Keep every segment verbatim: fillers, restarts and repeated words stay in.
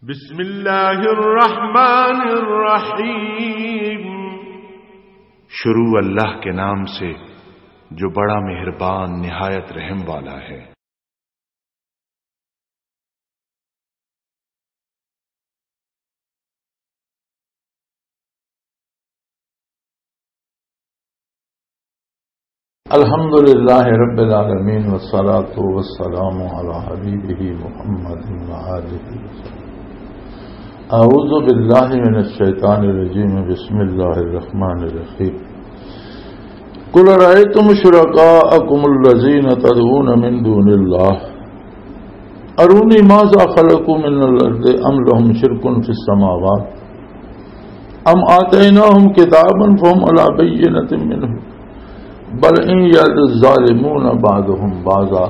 بسم اللہ الرحمن الرحیم۔ شروع اللہ کے نام سے، جو بڑا مہربان، نہایت رحم والا ہے۔ الحمد لله رب العالمين، والصلاة والسلام على حبيبه محمد وآله وسلم. أعوذ بالله من الشيطان الرجيم. بسم الله الرحمن الرحيم. قل أرأيتم شركاءكم الذين تدعون من دون الله أروني ماذا خلقوا من الأرض أم لهم شرك في السماوات أم آتيناهم كتابا فهم على بينة منه بل إن يعد الظالمون بعضهم بعضا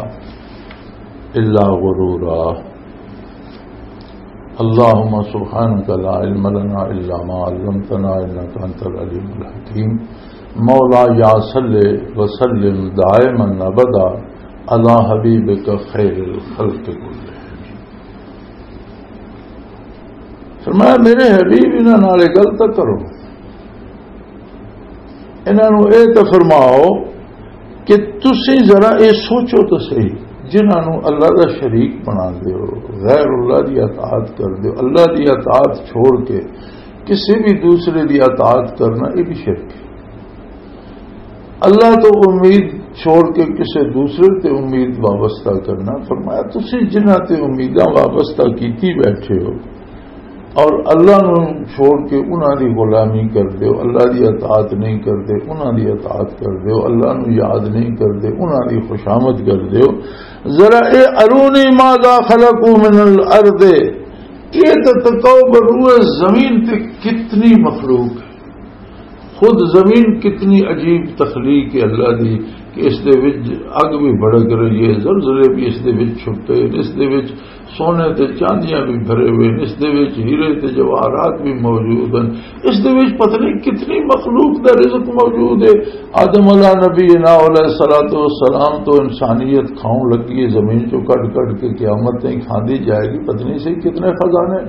إلا غرورا. اللهم سبحانك لا علم لنا إلا ما علمتنا إنك أنت العليم الحكيم. مولاي صل وسلم دائما أبدا على حبيبك خير الخلق كلهم. فرمایا، میرے حبیب، انہاں نال یہ گل تاں کرو، انہاں نوں یہ تاں فرماؤ کہ تسی ذرا یہ سوچو تو صحیح، جنہاں نوں اللہ دا شریک بنا دیو، غیر اللہ دی اطاعت کر دیو، اللہ دی اطاعت چھوڑ کے کسی بھی دوسرے دی اطاعت کرنا، یہ بھی شرک ہے۔ اللہ تو امید چھوڑ کے کسی دوسرے تے امید وابستہ کرنا۔ فرمایا، تسی جنہاں تے امیداں وابستہ کیتی بیٹھے ہو اور اللہ نوں چھوڑ کے انہاں دی غلامی کر دیو، اللہ دی اطاعت نہیں کر دے، انہاں دی اطاعت کر دیو، اللہ نوں یاد نہیں کر دے، انہاں دی خوشامد کر دیو۔ ذرا اے ارونی ماذا خلقوا من الارض، یہ تو تکو بروئے زمین تے کتنی مخلوق ہے۔ خود زمین کتنی عجیب تخلیق ہے اللہ دی، کہ اس دے وچ اگ بھی بھڑک رہی ہے، زلزلے بھی اس دے وچ چھٹے ہیں، اس دے وچ سونے تے چاندیاں بھی بھرے ہوئے ہیں، اس دے وچ ہیرے تے جواہرات بھی موجود ہیں، اس دے وچ پتہ نہیں کتنی مخلوق دا رزق موجود ہے۔ آدم علیہ نبی نا علیہ الصلوۃ والسلام تو انسانیت کھاؤں لگی ہے، زمین چوں کٹ کٹ کے قیامت تائیں کھاندی جائے گی، پتہ نہیں صحیح کتنے خزانے۔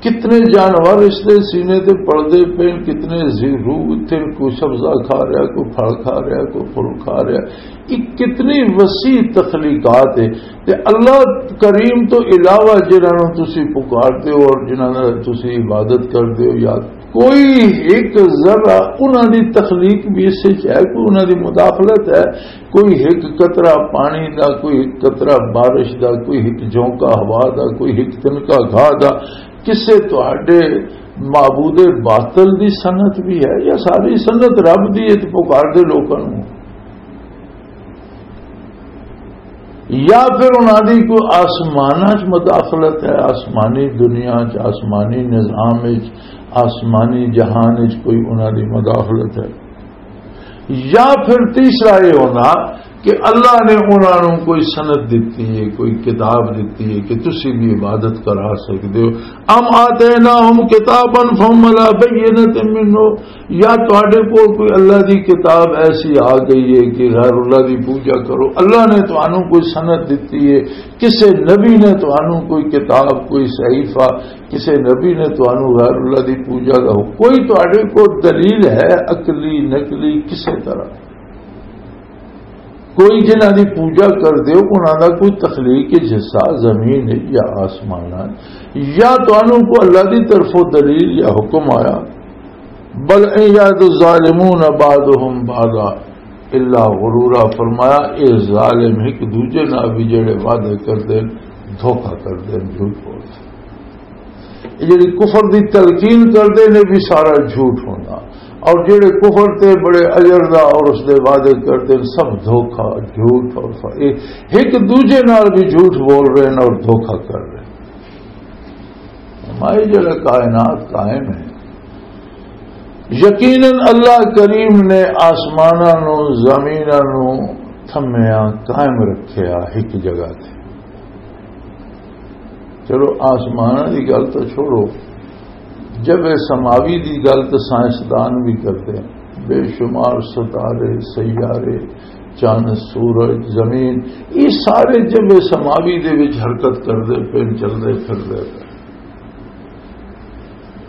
کتنے جانور اس دے سینے تے پلدے پے، کتنے زی-، روح اتھے، کوئی سبزہ کھا رہا، کوئی پھل کھا رہا، کوئی پھل کھا رہا۔ یہ کتنی وسیع تخلیقات ہے۔ تے اللہ کریم تو علاوہ جنہاں نوں تسی پکارتے ہو اور جنہاں نال تسی عبادت کردے ہو، یا کوئی ایک ذرا انہاں دی تخلیق بھی اس وچ ہے، کوئی انہاں دی مداخلت ہے، کوئی ایک قطرہ پانی دا، کوئی ایک قطرہ بارش دا، کوئی ایک جھونکا ہوا دا، کوئی ایک تنکا گھا دا، کسے تہاڈے معبود باطل دی صنعت بھی ہے یا ساری صنعت رب دی ہے تے پکار دے لوکاں نوں؟ یا پھر انہاں دی کوئی آسماناں چ مداخلت ہے، آسمانی دنیا چ، آسمانی نظام چ، آسمانی جہان چ کوئی انہاں دی مداخلت ہے؟ یا پھر تیسرا یہ ہونا کہ اللہ نے انہاں نوں کوئی سند دتی ہے، کوئی کتاب دتی ہے کہ تسی بھی عبادت کرا سکدے ہو۔ ام آتیناہم کتابا فہم علی بینۃ منہ، یا تواڈے کول کوئی اللہ دی کتاب ایسی آ گئی ہے کہ غیر اللہ دی پوجا کرو، اللہ نے تانوں کوئی سند دتی ہے، کسے نبی نے تانوں کوئی کتاب، کوئی صحیفہ، کسے نبی نے تانوں غیر اللہ دی پوجا دا ہو، کوئی تواڈے کول دلیل ہے عقلی نقلی کسے طرح؟ کوئی جنہاں دی پوجا کر دیو، انہاں دا کوئی تخلیق حصہ زمین ہے یا آسمان ہے، یا تانوں کو اللہ دی طرفوں دلیل یا حکم آیا؟ بل ان یعد الظالمون بعضهم بعضا الا غرورا۔ فرمایا، اے ظالم ایک دوجے نال بھی جڑے وعدے کردے، دھوکا کردے، جھوٹ بولدے۔ یہ جڑی کفر دی تلقین کردے نے، بھی سارا جھوٹ ہونا، اور جڑے کفر تے بڑے اجر دا اور اس دے وعدے کردے نے، سب دھوکا، جھوٹ اور ف-، یہ ایک دوجے نال بھی جھوٹ بول رہے ہیں اور دھوکا کر رہے ہیں۔ ہماری جڑا کائنات قائم ہے، یقیناً اللہ کریم نے آسماناں نو، زمیناں نو تھمیاں قائم رکھیا ایک جگہ تے۔ چلو، آسماناں دی گل تو چھوڑو، جب اے سماوی دی گل تو سائنسدان بھی کرتے ہیں، بے شمار ستارے، سیارے، چند، سورج، زمین، یہ سارے جب اے سماوی دے وچ حرکت کردے پے، چلدے پھردے پے۔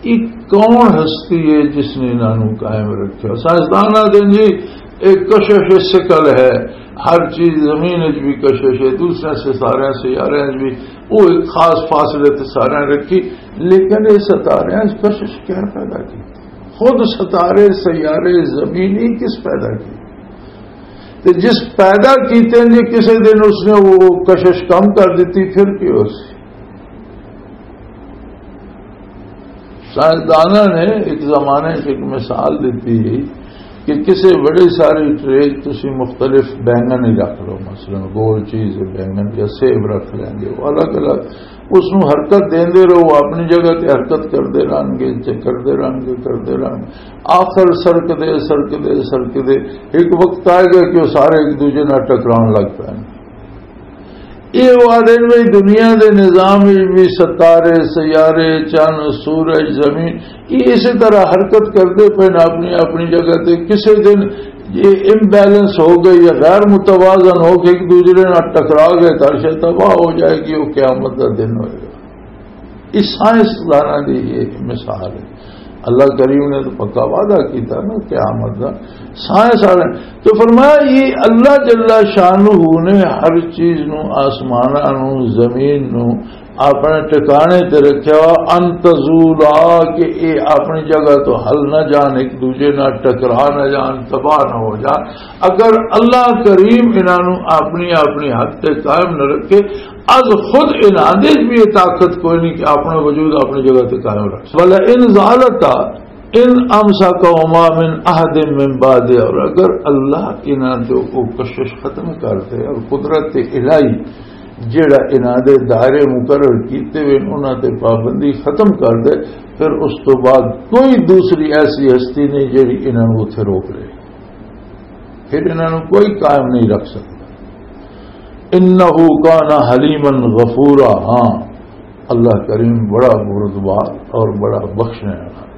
یہ کون ہستی ہے جس نے انہاں نوں قائم رکھیا؟ سائنسدان آدھے جی، ایک کشش ثقل ہے، ہر چیز زمین وچ بھی کشش ہے، دوسرے سے سارے سیارے وچ بھی، وہ ایک خاص فاصلے تے سارے رکھی، لیکن یہ ستارے وچ کشش کیا پیدا کی؟ خود ستارے، سیارے، زمین ہی کس پیدا کی؟ تے جس پیدا کیتے نے، کسے دن اس نے وہ کشش کم کر دیتی، پھر کی ہو سی؟ سائنسداناں نے ایک زمانے 'چ ایک مثال دیتی کہ کسے بڑی ساری ٹرے 'چ تسی مختلف بینگن ہی رکھ لو، مثلاً گول چیز ہے بینگن، یا سیب رکھ لیں گے، وہ الگ الگ، اس نوں حرکت دیندے رہو، اپنی جگہ تے حرکت کردے رہن گے، چ-، کردے رہن گے، کردے رہن گے۔ آخر سرک دے، سرک دے، سرک دے، ایک وقت آئے گا کہ وہ سارے ایک دوجے نال ٹکران لگ پے۔ یہ وہ آدھے نے بھئی، دنیا دے نظام وچ بھی ستارے، سیارے، چند، سورج، زمین، یہ اسی طرح حرکت کردے پے نے اپنی اپنی جگہ تے۔ کسے دن یہ امبیلنس ہو گئی یا غیر متوازن ہو کے ایک دوسرے نال ٹکرا گئے، تو شاید تباہ ہو جائے گی، وہ قیامت کا دن ہوئے گا۔ یہ سائنسداناں دی یہ مثال ہے۔ اللہ کریم نے تو پکا وعدہ کیتا نا قیامت دا۔ سائنس والے تو فرمایا، یہ اللہ جل شانہ نے ہر چیز نو، آسماناں نو، زمین نو اپنے ٹھکانے تے رکھیا وا، ان تزولا، کہ اے اپنی جگہ تو ہل نہ جان، ایک دوجے نال ٹکرا نہ جان، تباہ نہ ہو جان۔ اگر اللہ کریم انہاں نو اپنی، اپنی حد تے قائم نہ رکھے، از خود انہاں دے بھی یہ طاقت کوئی نہیں کہ اپنا وجود اپنی جگہ تے قائم رکھ۔ ولا ان زالتا ان امسکہما من احد من بعد، اور اگر اللہ انہاں تے وہ کشش ختم کر دے اور قدرت الہی جڑا انہاں دے دائرے مقرر کیتے ہوئے انہاں تے پابندی ختم کر دے، پھر اس تو بعد کوئی دوسری ایسی ہستی نہیں جڑی انہاں نوں اتھے روک لے، پھر انہاں نوں کوئی قائم نہیں رکھ سکتا۔ انہ کان حلیما غفورا، ہاں، اللہ کریم بڑا بردبار اور بڑا بخشنے والا۔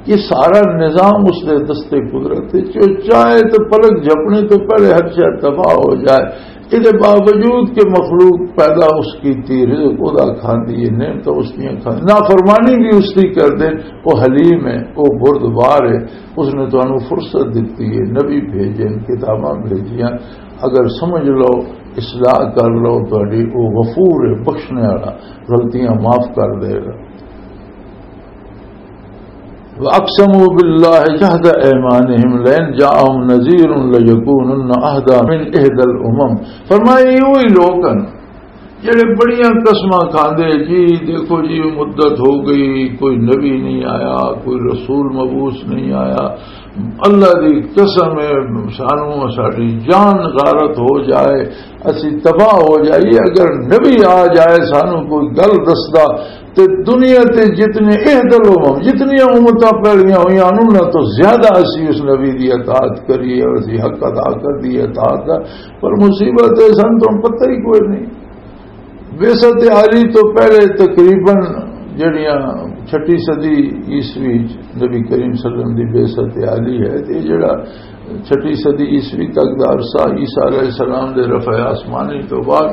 یہ سارا نظام اس دے دستے قدرت ہے، جو چاہے تو پلک جھپنے تو پہلے ہر شے تباہ ہو جائے۔ اس دے باوجود کہ مخلوق پیدا اس کی تھی، رزق ادا کھاندی ہے، نعمت اس دیاں کھاندی، نافرمانی بھی اس دی کر دے، وہ حلیم ہے، وہ بردبار ہے۔ اس نے تانوں فرصت دتی ہے، نبی بھیجے، کتاباں بھیجیاں، اگر سمجھ لو، اصلاح کر لو، تہاڈی او غفور ہے، بخشنے والا، غلطیاں معاف کر دے گا۔ وَأَقْسَمُوا بِاللَّهِ جَهْدَ أَيْمَانِهِمْ لَئِنْ جَاءَهُمْ نَذِيرٌ لَيَكُونُنَّ أَهْدَىٰ مِنْ إِحْدَى الْأُمَمِ۔ فرمایا، یہ وہی لوگ ہیں جڑے بڑیاں قسماں کھاندے، جی دیکھو جی، مدت ہو گئی، کوئی نبی نہیں آیا، کوئی رسول مبعوث نہیں آیا، اللہ دی قسم ہے، سانو ساڈی جان غارت ہو جائے، اسی تباہ ہو جائیے، اگر نبی آ جائے، سانو کوئی گل دسدا، تے دنیا تے جتنے اہدل امم، جتنی امتاں پہلیاں ہوئیاں، انہاں تو زیادہ اسی اس نبی دی اطاعت کریے اور اسی حق ادا کر دی اطاعت دا۔ پر مصیبت ہے، سانو تو پتہ ہی کوئی نہیں۔ بعثت عالی تو پہلے تقریباً جڑیاں چھٹی صدی عیسوی نبی کریم صلی اللہ علیہ وسلم دی بعثت عالی ہے، تے جڑا چھٹی صدی عیسوی تک دا عرصہ عیسیٰ علیہ السلام دے رفع آسمانی تو بعد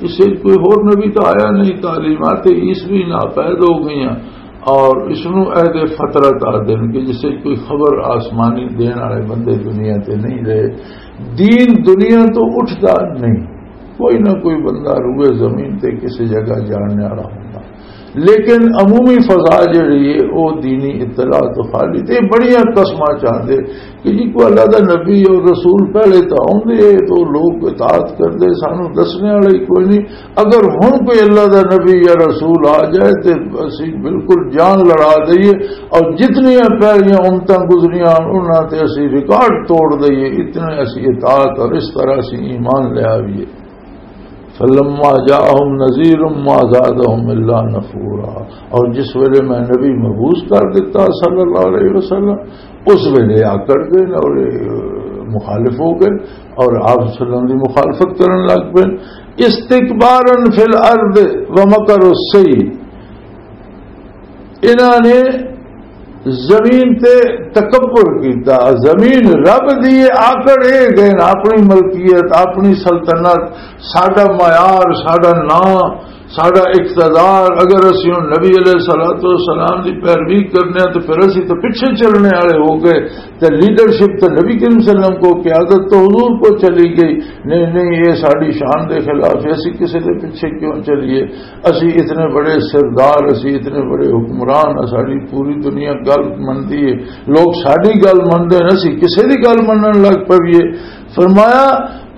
اس وچ کوئی ہور نبی تو آیا نہیں، تعلیمات عیسوی ناپید ہو گئیاں۔ اور اس نو عہد فترت آ دن کہ جس وچ کوئی خبر آسمانی دین والے بندے دنیا تے نہیں رہے، دین دنیا تو اٹھدا نہیں۔ کوئی نہ کوئی بندہ روئے زمین تے کسی جگہ جاننے والا ہوندا، لیکن عمومی فضا جڑی ہے، وہ دینی اطلاع تو خالی۔ تے بڑیاں قسماں چاہندے کہ جی کوئی اللہ دا نبی اور رسول پہلے تو آوندے، تو لوگ اطاعت کردے، سانو دسنے والا ہی کوئی نہیں۔ اگر ہن کوئی اللہ دا نبی یا رسول آ جائے تے اسی بالکل جان لڑا دئیے، اور جتنیاں پہلیاں امتاں گزریاں انہاں تے اسی ریکارڈ توڑ دئیے، اتنے اسی اطاعت اور اس طرح اسی ایمان لے آئیے۔ فلما جاءهم نذير ما زادهم الا نفورا۔ اور جس ویلے میں نبی مبعوث کر دیتا صلی اللہ علیہ وسلم، اس ویلے آکڑ گئے اور مخالف ہو گئے اور آپ صلی اللہ علیہ وسلم کی مخالفت کرن لگ پے۔ استکبارا فی الارض ومکر السیئ۔ انہاں نے زمین تے تکبر کیتا، زمین رب دی ہے، آکڑ اے گئے نا، اپنی ملکیت، اپنی سلطنت، ساڈا معیار، ساڈا نام، ساڈا اقتدار، اگر اسی ہن نبی علیہ الصلوۃ والسلام دی پیروی کرنے ہاں تے پھر اسی تے پیچھے چلنے والے ہو گئے۔ تے لیڈرشپ تے نبی کریم صلی اللہ علیہ وسلم کو، قیادت تو حضور کو چلی گئی۔ نہیں نہیں، یہ ساڈی شان دے خلاف ہے، اسی کسی دے پیچھے کیوں چلیے؟ اسی اتنے بڑے سردار، اسی اتنے بڑے حکمران ہاں، ساڈی پوری دنیا گل مندی ہے، لوگ ساڈی گل مندے نے، اسی کسی دی گل منن لگ پئیے۔ فرمایا،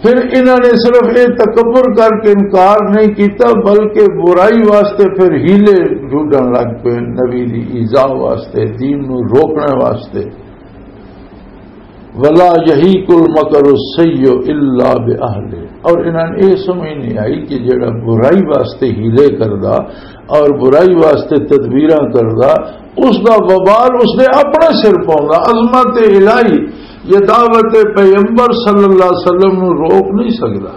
پھر انہاں نے صرف یہ تکبر کر کے انکار نہیں کیتا، بلکہ برائی واسطے پھر ہیلے ڈھونڈن لگ پئے، نبی دی ایذا واسطے، دین نو روکنے واسطے۔ ولا یحیق المکر السیئ الا باہلہ۔ اور انہاں نے یہ سمجھ نہیں آئی کہ جڑا برائی واسطے ہیلے کردا اور برائی واسطے تدبیراں کردا، اس دا وبال اس دے اپنے سر پوندا۔ عظمت الہی، یہ دعوت پیغمبر صلی اللہ علیہ وسلم نو روک نہیں سکدا۔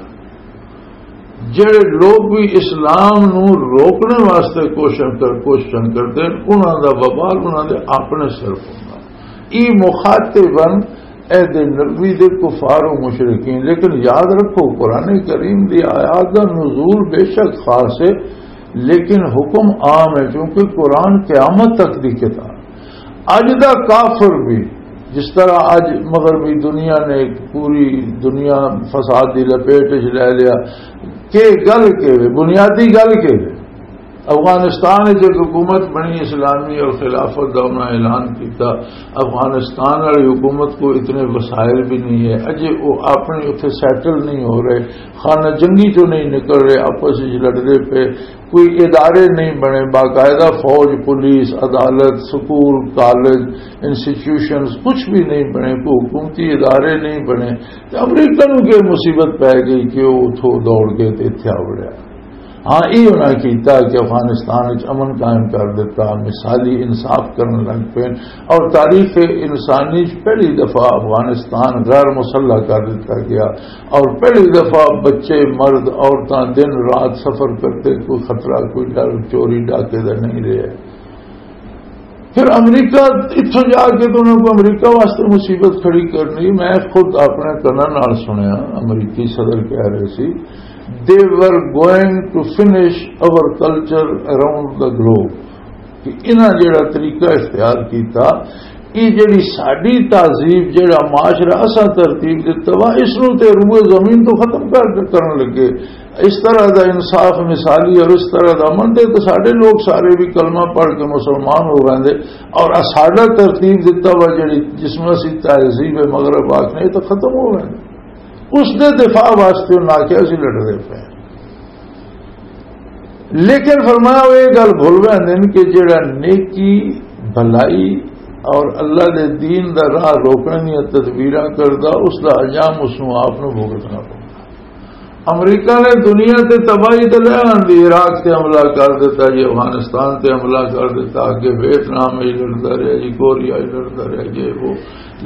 جڑے لوگ بھی اسلام نو روکنے واسطے کوشش کر، کوششاں کردے نے، انہاں دا وبال انہاں دے اپنے سر پوندا۔ ای مخاطبن عہد نبوی دے کفار و مشرکین۔ لیکن یاد رکھو، قرآن کریم دی آیات دا نزول بے شک خاص ہے، لیکن حکم عام ہے، کیونکہ قرآن قیامت تک دی کتاب۔ اج دا کافر بھی، جس طرح اج مغربی دنیا نے ایک پوری دنیا فساد دی لپیٹ وچ لے لیا، کہ گل کے وے، بنیادی گل کے وے۔ افغانستان وچ ایک حکومت بنی اسلامی اور خلافت دا انہاں اعلان کیتا۔ افغانستان والی حکومت کو اتنے وسائل بھی نہیں ہے، اجے وہ اپنی اتھے سیٹل نہیں ہو رہے، خانہ جنگی چوں نہیں نکل رہے، آپس وچ لڑدے پے، کوئی ادارے نہیں بنے، باقاعدہ فوج، پولیس، عدالت، سکول، کالج، انسٹیٹیوشنز کچھ بھی نہیں بنے، کوئی حکومتی ادارے نہیں بنے۔ تے امریکہ نوں کی مصیبت پے گئی کہ وہ اتھوں دوڑ کے تے اتھے آ وڑیا؟ ہاں، یہ انہاں کیتا کہ افغانستان وچ امن قائم کر دیتا، مثالی انصاف کرن لگ پے، اور تاریخ انسانی وچ پہلی دفعہ افغانستان غیر مسلح کر دیتا گیا، اور پہلی دفعہ بچے، مرد، عورتاں دن رات سفر کرتے، کوئی خطرہ، کوئی ڈر چوری ڈاکے دا نہیں رہے۔ پھر امریکہ اتھوں جا کے تو انہوں کو امریکہ واسطے مصیبت کھڑی کرنی۔ میں خود اپنے کناں نال سنیا، امریکی صدر کہہ رہے سی، they were going to finish our culture around the globe، کہ انہاں جڑا طریقہ اختیار کیتا، یہ جڑی ساڈی تہذیب، جڑا معاشرہ اساں ترتیب دتا وا، اس نوں تے روئے زمین تو ختم کر، کرن لگے۔ اس طرح دا انصاف مثالی اور اس طرح دا امن دے تو ساڈے لوگ سارے بھی کلمہ پڑھ کے مسلمان ہو گئے، اور ساڈا ترتیب دتا وا جڑی، جس میں اسی تہذیب مغرب آکھنے، یہ تو ختم ہو گئے۔ اس دے دفاع واسطے انہاں آکھیا اسی لڑدے پے۔ لیکن فرمایا، وہ یہ گل بھول بیندے نے کہ جڑا نیکی، بھلائی اور اللہ دے دین دا راہ روکنے دیاں تدبیراں کردا، اس دا انجام اس نوں آپ نوں بھگتنا پوندا۔ امریکہ نے دنیا تے تباہی تے لے آندی، عراق تے حملہ کر دیتا جی، افغانستان تے حملہ کر دیتا، اگے ویتنام وچ لڑدا رہیا جی، کوریا وچ لڑدا رہیا جی، وہ۔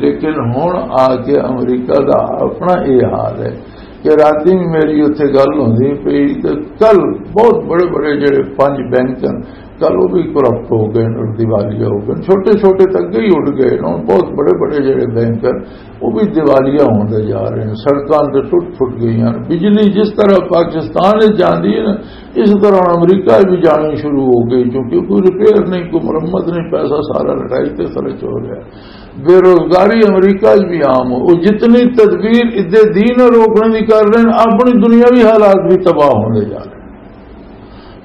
لیکن ہن آ کے امریکہ دا اپنا یہ حال ہے کہ راتی میری اتھے گل ہوندی پئی تے کل بہت بڑے بڑے جڑے پنج بینک ہیں، کل وہ بھی کرپٹ ہو گئے اور دیوالیہ ہو گئے۔ چھوٹے چھوٹے تک ہی اٹھ گئے، ہن بہت بڑے بڑے جڑے بینک ہیں، وہ بھی دیوالیہ ہوندے جا رہے ہیں، سڑکاں تے ٹوٹ پھٹ گئی ہیں۔ بجلی جس طرح پاکستان وچ جاندی ہے نا، اس طرح ہن امریکہ وچ بھی جانی شروع ہو گئی، کیونکہ کوئی ریپیئر نہیں، کوئی مرمت نہیں، پیسہ سارا لڑائی تے خرچ ہو رہا ہے۔ بے روزگاری امریکہ وچ بھی عام ہو۔ وہ جتنی تدبیر ادے دین روکنے کی کر رہے ہیں، اپنی دنیاوی حالات بھی تباہ ہوندے جا رہے ہیں۔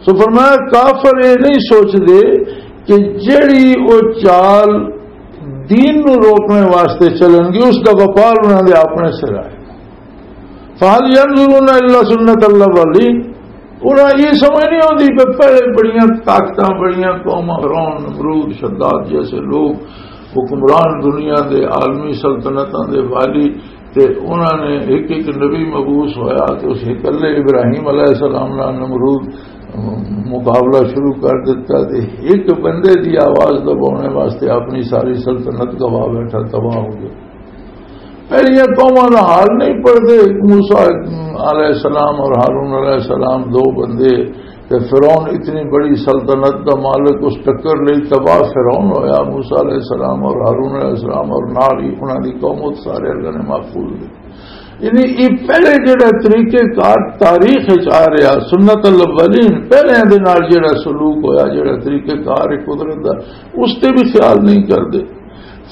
سو فرمایا، کافر یہ نہیں سوچدے کہ جیڑی او چال دین نو روکنے واسطے چلن گی، اس دا وبال انہاں دے اپنے سر آئے۔ فَهَلْ يَنْظُرُونَ إِلَّا سُنَّتَ الْأَوَّلِينَ۔ انہاں یہ سمجھ نہیں آتی کہ پہلے بڑیاں طاقتاں، بڑیاں قوماں، فرعون، نمرود، شداد جیسے لوگ، حکمران دنیا دے، عالمی سلطنتاں دے والی، تے انہاں نے ایک ایک نبی مبعوث ہویا تے اس اکلے ابراہیم علیہ السلام نال نمرود مقابلہ شروع کر دیتا، تے ایک بندے دی آواز دبانے واسطے اپنی ساری سلطنت گوا بیٹھا، تباہ ہو گیا۔ پہلیاں قوماں دا حال نہیں پڑھتے۔ موسیٰ علیہ السلام اور ہارون علیہ السلام دو بندے، تے فرعون اتنی بڑی سلطنت دا مالک، اس ٹکر لئی تباہ فرعون ہویا، موسیٰ علیہ السلام اور ہارون علیہ السلام اور نال ہی انہاں دی قوم، وہ سارے اللہ نے محفوظ کیتے۔ یعنی یہ پہلے جڑا طریقہ کار تاریخ وچ آ رہا، سنت الاولین، پہلے دے نال جڑا سلوک ہویا، جڑا طریقہ کار ہے قدرت دا، اس تے بھی خیال نہیں کردے۔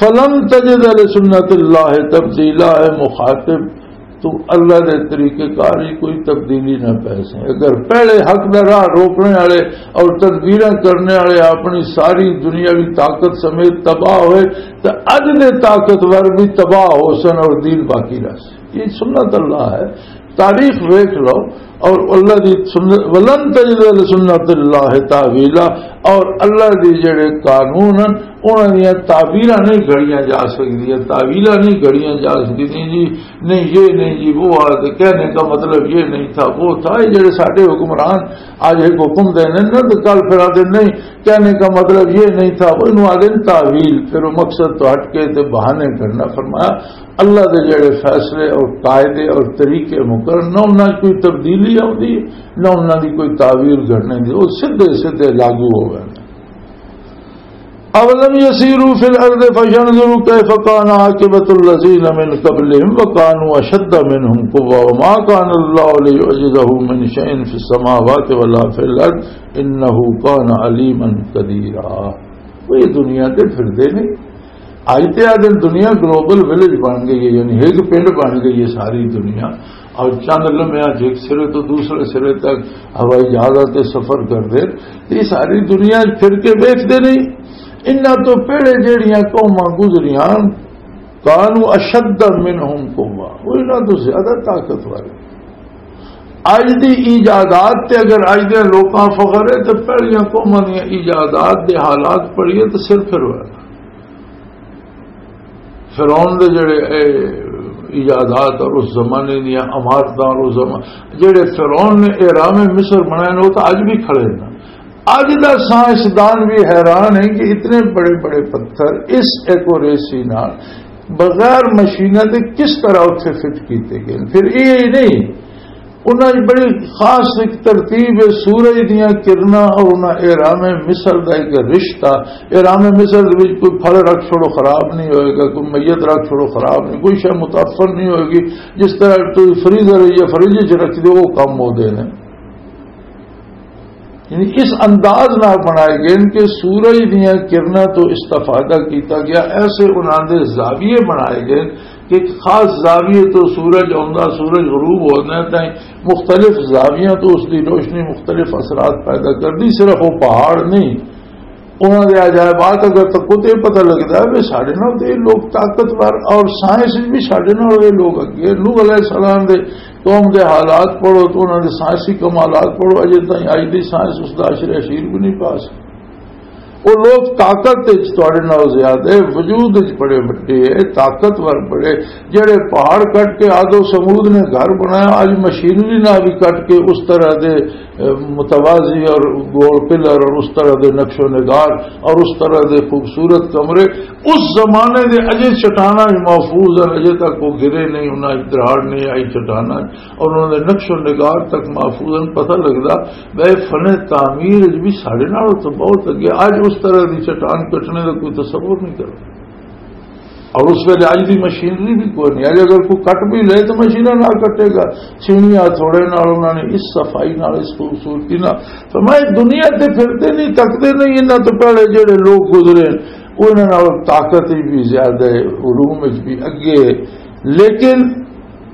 فلن تجد لسنت اللہ تبدیلا، اے مخاطب، تو اللہ دے طریقہ کار ہی کوئی تبدیلی نہ پی سکے۔ اگر پہلے حق دا راہ روکنے والے اور تدبیراں کرنے والے اپنی ساری دنیاوی طاقت سمیت تباہ ہوئے، تو اج دے طاقتور بھی تباہ ہو سن اور دین باقی رہ سن۔ یہ سنت اللہ ہے، تاریخ ویکھ لو۔ اور اللہ دی سنت، ولن تجد لسنت اللہ تحویلا، اور اللہ دی جڑے قانون ہیں، انہاں دیاں تعبیراں نہیں گھڑیاں جا سکدیاں، تعویلاں نہیں گھڑیاں جا سکدیاں جی، نہیں یہ نہیں جی وہ آ، تے کہنے کا مطلب یہ نہیں تھا، وہ تھا۔ یہ جڑے ساڈے حکمران اج ایک حکم دینے نہ، تے کل پھر آدھے نہیں، کہنے کا مطلب یہ نہیں تھا، وہ انہوں آدھے تعویل، پھر وہ مقصد تو ہٹ کے تے بہانے کرنا۔ فرمایا اللہ دے جڑے فیصلے اور قاعدے اور طریقے مقرر، نہ انہاں 'چ کوئی تبدیلی آؤندی ہے، نہ انہاں دی کوئی تعویل گھڑنے دی، وہ سیدھے سیدھے لاگو ہو گئے۔ اولم يسيروا في الارض فينظروا كيف كان عاقبة الذين من قبلهم وكانوا اشد منهم قوة وما كان الله ليعجزه من شيء في السماوات ولا في الارض انه كان عليما قديرا۔ وہ یہ دنیا تے پھردے نہیں۔ اج تے آ دن دنیا گلوبل ولیج بن گئی ہے، یعنی ایک پنڈ بن گئی ہے ساری دنیا۔ اور چند لمحیاں 'چ ایک سرے تو دوسرے سرے تک ہوائی جہازاں تے سفر کردے، تے یہ ساری دنیا پھر کے ویکھدے نہیں۔ انہاں تو پہلے جہڑیاں قوماں گزریاں، کانوا اشد منہم قوہ، وہ انہاں تو زیادہ طاقتور ہے۔ اج دی ایجادات تے اگر اج دے لوکاں فخر ہے، تے پہلیاں قوماں دیاں ایجادات دے حالات پڑھیے تے سر پھر ہویا۔ فرعون دے جڑے اے ایجادات اور اس زمانے دیاں عمارتاں اور اس زمان-، جڑے فرعون نے اہرام مصر بنائے نے، وہ تو اج بھی کھڑے نے۔ اج دا سائنسدان بھی حیران ہے کہ اتنے بڑے بڑے پتھر اس ایکوریسی نال بغیر مشیناں دے کس طرح اتھے فٹ کیتے گئے۔ پھر یہ ہی نہیں، انہاں دی بڑی خاص ایک ترتیب ہے، سورج دیاں کرناں اور انہاں اہرام مصر دا ایک رشتہ۔ اہرام مصر دے وچ کوئی پھل رکھ چھوڑو خراب نہیں ہوئے گا، کوئی میت رکھ چھوڑو خراب نہیں، کوئی شے متاثر نہیں ہوئے گی۔ جس طرح کوئی فریزر یا فریج وچ رکھ دے، وہ کم ہو دے نے۔ یعنی اس انداز نال بنائے گئے نے کہ سورج دیاں کرناں تو استفادہ کیتا گیا، ایسے انہاں دے زاویے بنائے گئے کہ ایک خاص زاویے تو سورج آوندا، سورج غروب ہوندا ہے، تائیں مختلف زاویاں تو اس دی روشنی مختلف اثرات پیدا کردی۔ صرف وہ پہاڑ نہیں، انہاں دے عجائبات اگر تکو تے پتہ لگدا ہے کہ ساڈے نال تے لوگ طاقتور اور سائنس وچ بھی ساڈے نال اے لوگ اگے۔ نوح علیہ السلام دے قوم دے حالات پڑھو تو انہاں دے سائنسی کمالات پڑھو، اجے تائیں اج دی سائنس اس دا عشر اشیر بھی نہیں پا سکی۔ وہ لوگ طاقت وچ تواڈے نال زیادہ ہے، وجود وچ بڑے وڈے ہے، طاقتور بڑے، جڑے پہاڑ کٹ کے آدو سمود نے گھر بنایا، اج مشینری نال بھی کٹ کے اس طرح دے، اے، متوازی اور گول پلر اور اس طرح دے نقش و نگار اور اس طرح دے خوبصورت کمرے، اس زمانے دے اجے چٹاناں وچ محفوظ ہیں، اجے تک وہ گرے نہیں، انہاں وچ دراڑ نہیں آئی چٹاناں، اور انہاں دے نقش و نگار تک محفوظ ہیں۔ پتہ لگدا بھائی فن تعمیر وچ بھی ساڈے نال تو بہت اگے۔ اج اس طرح دی چٹان کٹنے دا کوئی تصور نہیں کردا۔ اور اس ویلے اج دی مشینری بھی کوئی نہیں۔ اج اگر کوئی کٹ بھی لے تو مشیناں نال کٹے گا، چھینیاں تھوڑے نال انہاں نے اس صفائی نال، اس خوبصورتی نال۔ فرمایا دنیا تے پھردے نہیں، تکدے نہیں، انہاں تو پہلے جڑے لوگ گزرے، انہاں نال طاقت وچ بھی زیادہ ہے، علوم وچ بھی اگے ہے۔ لیکن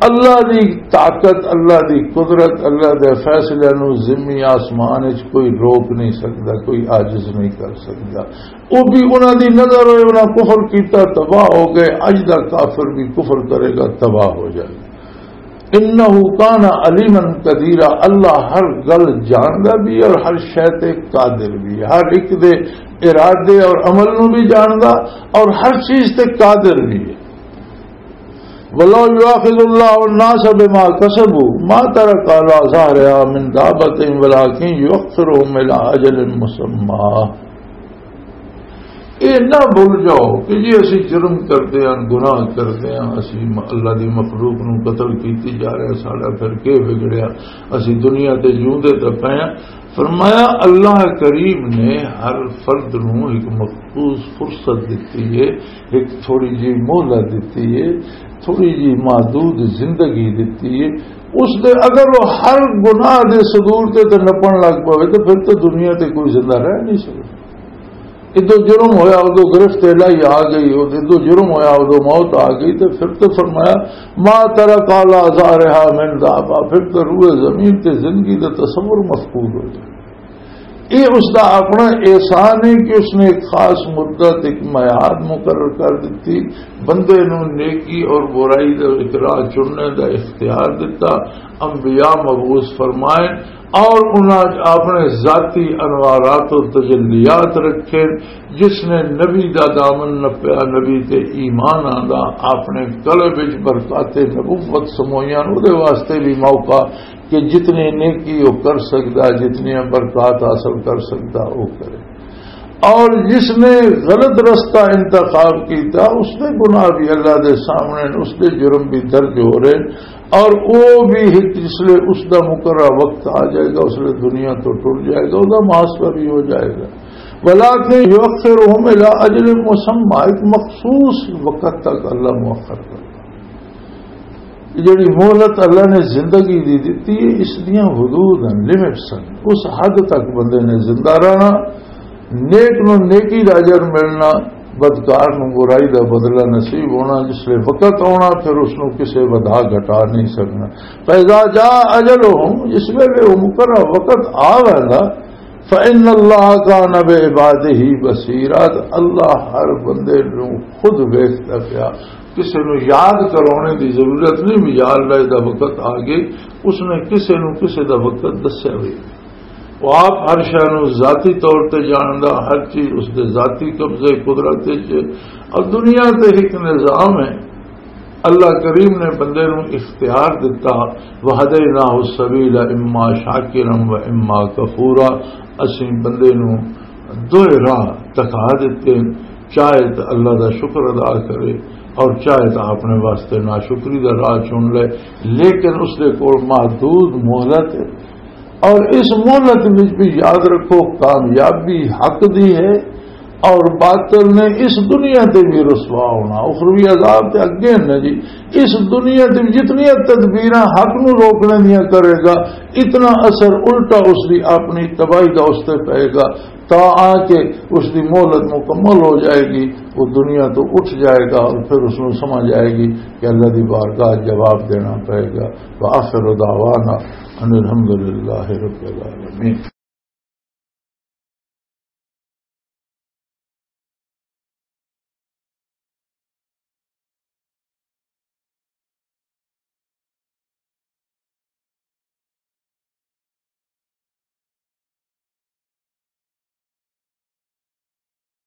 اللہ دی طاقت، اللہ دی قدرت، اللہ دے فیصلے نو زمین آسمان وچ کوئی روک نہیں سکدا، کوئی عاجز نہیں کر سکدا۔ وہ بھی انہاں دی نظر ہوئے، انہاں کفر کیتا، تباہ ہو گئے۔ اج دا کافر بھی کفر کرے گا، تباہ ہو جائے گا۔ انہ کان علیما قدیرا، اللہ ہر گل جاندا بھی اور ہر شے تے قادر بھی، ہر ایک دے ارادے اور عمل نو بھی جاندا اور ہر چیز تے قادر بھی ہے۔ ولو یؤاخذ اللہ الناس بما کسبوا ما ترک علی ظہرها من دابۃ ولکن یؤخرهم الی اجل مسمی۔ اے نہ بھول جاؤ کہ جی اسی جرم کردے ہاں، گناہ کردے ہاں، اسی م-، اللہ دی مخلوق نو قتل کیتی جا رہے ہاں، ساڈا پھر کی بگڑیا؟ اسی دنیا تے جیوندے تے پئے ہاں۔ فرمایا، اللہ کریم نے ہر فرد نو ایک مخصوص فرصت دتی ہے، ایک تھوڑی جی مہلت دتی ہے، تھوڑی جی محدود زندگی دتی ہے۔ اس دے اگر وہ ہر گناہ دے صدور تے تے نپن لگ پوے تو پھر تو دنیا تے کوئی زندہ رہ نہیں سکتا۔ ادو جرم ہویا، ادو گرفت الہی آ گئی، ادو جرم ہویا، ادو موت آ گئی، تو پھر تو فرمایا، "ما ترک علی ظہرہا من دابہ"، پھر تو روئے زمین تے زندگی دا تصور مفقود ہو جائے۔ یہ اس دا اپنا احسان ہے کہ اس نے ایک خاص مدت، ایک میعاد مقرر کر دیتی، بندے نو نیکی اور برائی دا ایک راہ چننے دا اختیار دیتا۔ انبیاء مبعوث فرمائے، اور انہاں اپنے ذاتی انوارات و تجلیات رکھے۔ جس نے نبی دا دامن نپیا، نبی تے ایمان آندا، اپنے قلب وچ برکات نبوت سموئیاں، اودے واسطے بھی موقع کہ جتنی نیکی وہ کر سکدا، جتنی برکات حاصل کر سکدا، وہ کرے۔ اور جس نے غلط رستہ انتخاب کیتا، اس دے گناہ بھی اللہ دے سامنے نے، اس دے جرم بھی درج ہو رہے ہیں۔ اور وہ بھی ایک، جس لے اس دا مقررہ وقت آ جائے گا، اس لے دنیا تو ٹر جائے گا، اس دا محاسبہ بھی ہو جائے گا۔ وَلَٰكِن يُؤَخِّرُهُمْ إِلَىٰ أَجَلٍ مُّسَمًّى، ایک مخصوص وقت تک اللہ مؤخر کر۔ یہ جڑی مہلت اللہ نے زندگی دی دتی ہے، اس دیاں حدود ہیں، لمٹس ہیں۔ اس حد تک بندے نے زندہ رہنا، نیک نو نیکی دا اجر ملنا، بدکار نو برائی دا بدلہ نصیب ہونا۔ جس لے وقت آنا، پھر اس نو کسے ودھا گھٹا نہیں سکنا۔ فَإِذَا جَاءَ أَجَلُهُمْ، جس ویلے وہ مقررہ وقت آ ویندا، فَإِنَّ اللَّهَ كَانَ بِعِبَادِهِ بَصِيرًا، اللہ ہر بندے نو خود ویکھدا پیا۔ کسے نو یاد کرانے دی ضرورت نہیں بھی، یا اللہ دا وقت آ گئے، اس نے کسے نو کسے دا وقت دسیا ہوئے۔ وہ آپ ہر شے نو ذاتی طور تے جاندا، ہر چیز اس دے ذاتی قبضے قدرت وچ ہے۔ اور دنیا تے ایک نظام ہے، اللہ کریم نے بندے نو اختیار دتا، وَهَدَيْنَاهُ السَّبِيلَ إِمَّا شَاكِرًا وَإِمَّا كَفُورًا، اسیں بندے نو دوئے راہ دکھا دتے، چاہے تو اللہ دا شکر ادا کرے اور چاہے تو اپنے واسطے ناشکری دا راہ چن لے، لیکن اس دے کول محدود مہلت ہے۔ اور اس مہلت وچ بھی یاد رکھو، کامیابی حق دی ہے اور باطل نے اس دنیا تے بھی رسوا ہونا، اخروی عذاب تے اگے ہے نا جی۔ اس دنیا تے بھی جتنی تدبیراں حق نو روکنے دیاں کرے گا، اتنا اثر الٹا اس دی اپنی تباہی دا اس تے پائے گا، تا آ کے اس دی مہلت مکمل ہو جائے گی، وہ دنیا تو اٹھ جائے گا اور پھر اس نو سمجھ آئے گی کہ اللہ دی بارگاہ جواب دینا پائے گا۔ وآخر دعوانا ان الحمدللہ رب العالمین۔